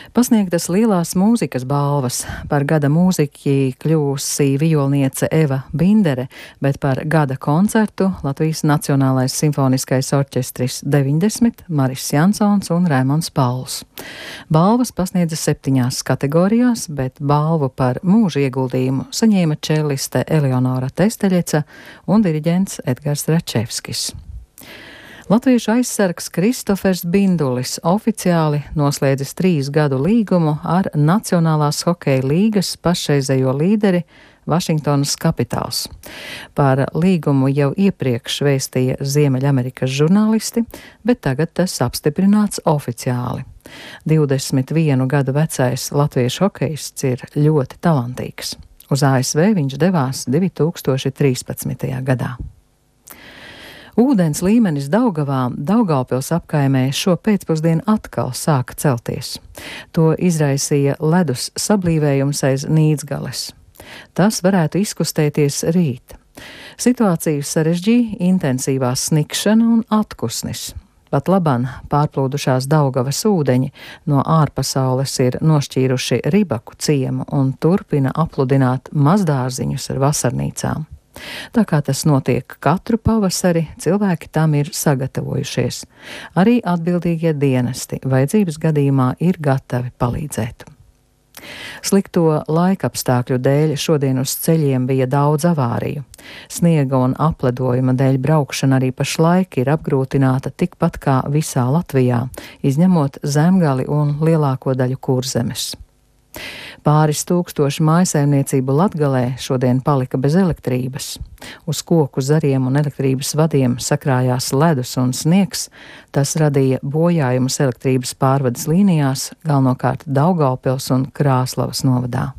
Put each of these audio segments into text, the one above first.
Pasniegtas lielās mūzikas balvas. Par gada mūziķi kļūsi vijolniece Eva Bindere, bet par gada koncertu Latvijas Nacionālais simfoniskais orķestris 90 Maris Jansons un Raimonds Pauls. Balvas pasniedza 7 kategorijās, bet balvu par mūža ieguldījumu saņēma čelliste Eleonora Testeļeca un diriģents Edgars Račevskis. Latviešu aizsargs Kristofers Bindulis oficiāli noslēdzis 3 gadu līgumu ar Nacionālās hokeja līgas pašreizējo līderi Vašingtonas Capitals. Par līgumu jau iepriekš vēstīja Ziemeļamerikas žurnālisti, bet tagad tas apstiprināts oficiāli. 21 gadu vecais latviešu hokejists ir ļoti talantīgs. Uz ASV viņš devās 2013. gadā. Ūdens līmenis Daugavā, Daugavpils apkaimē šo pēcpusdienu atkal sāka celties. To izraisīja ledus sablīvējums aiz Nīdzgales. Tas varētu izkustēties rīt. Situāciju sarežģīja intensīvā snikšana un atkusnis. Pat labāk pārplūdušās Daugavas ūdeņi no ārpasaules ir nošķīruši Ribaku ciemu un turpina apludināt mazdārziņus ar vasarnīcām. Tā kā tas notiek katru pavasari, cilvēki tam ir sagatavojušies. Arī atbildīgie dienesti vajadzības gadījumā ir gatavi palīdzēt. Slikto laikapstākļu dēļ šodien uz ceļiem bija daudz avāriju. Sniega un apledojuma dēļ braukšana arī pašlaik ir apgrūtināta tikpat kā visā Latvijā, izņemot Zemgali un lielāko daļu Kurzemes. Pāris tūkstoši mājsaimniecību Latgalē šodien palika bez elektrības. Uz koku zariem un elektrības vadiem sakrājās ledus un sniegs. Tas radīja bojājumus elektrības pārvades līnijās, galvenokārt Daugavpils un Krāslavas novadā.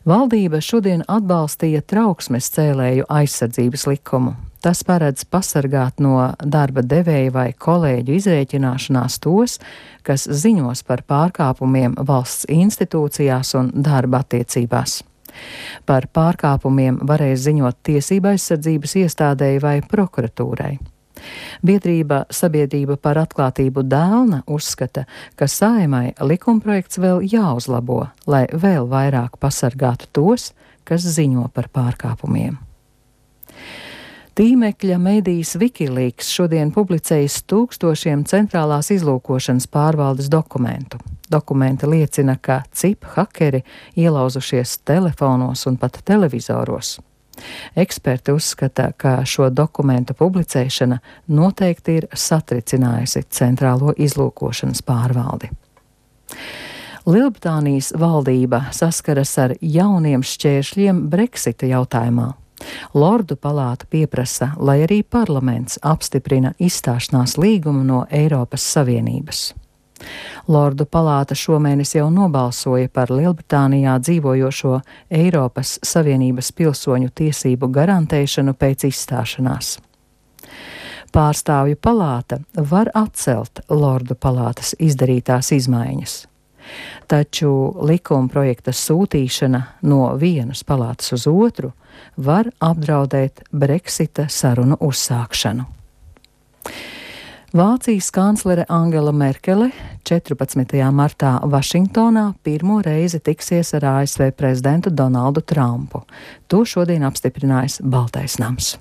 Valdība šodien atbalstīja trauksmes cēlēju aizsardzības likumu. Tas paredz pasargāt no darba devēja vai kolēģu izrēķināšanās tos, kas ziņos par pārkāpumiem valsts institūcijās un darba attiecībās. Par pārkāpumiem varēs ziņot tiesība aizsardzības iestādēji vai prokuratūrai. Biedrība Sabiedrība par atklātību Dēlna uzskata, ka Saeimai likumprojekts vēl jāuzlabo, lai vēl vairāk pasargātu tos, kas ziņo par pārkāpumiem. Tīmekļa medijs Wikileaks šodien publicējis tūkstošiem centrālās izlūkošanas pārvaldes dokumentu. Dokumenti liecina, ka CIP hakeri ielauzušies telefonos un pat televizoros. Eksperti uzskata, ka šo dokumentu publicēšana noteikti ir satricinājusi centrālo izlūkošanas pārvaldi. Lielbritānijas valdība saskaras ar jauniem šķēršļiem Brexita jautājumā. Lordu palāta pieprasa, lai arī parlaments apstiprina izstāšanās līgumu no Eiropas Savienības. Lordu palāta šomēnes jau nobalsoja par Lielbritānijā dzīvojošo Eiropas Savienības pilsoņu tiesību garantēšanu pēc izstāšanās. Pārstāvju palāta var atcelt Lordu palātas izdarītās izmaiņas. Taču likuma projekta sūtīšana no vienas palātas uz otru var apdraudēt Brexita sarunu uzsākšanu. Vācijas kanclere Angela Merkele 14. martā Vašingtonā pirmo reizi tiksies ar ASV prezidentu Donaldu Trumpu. To šodien apstiprinājis Baltais nams.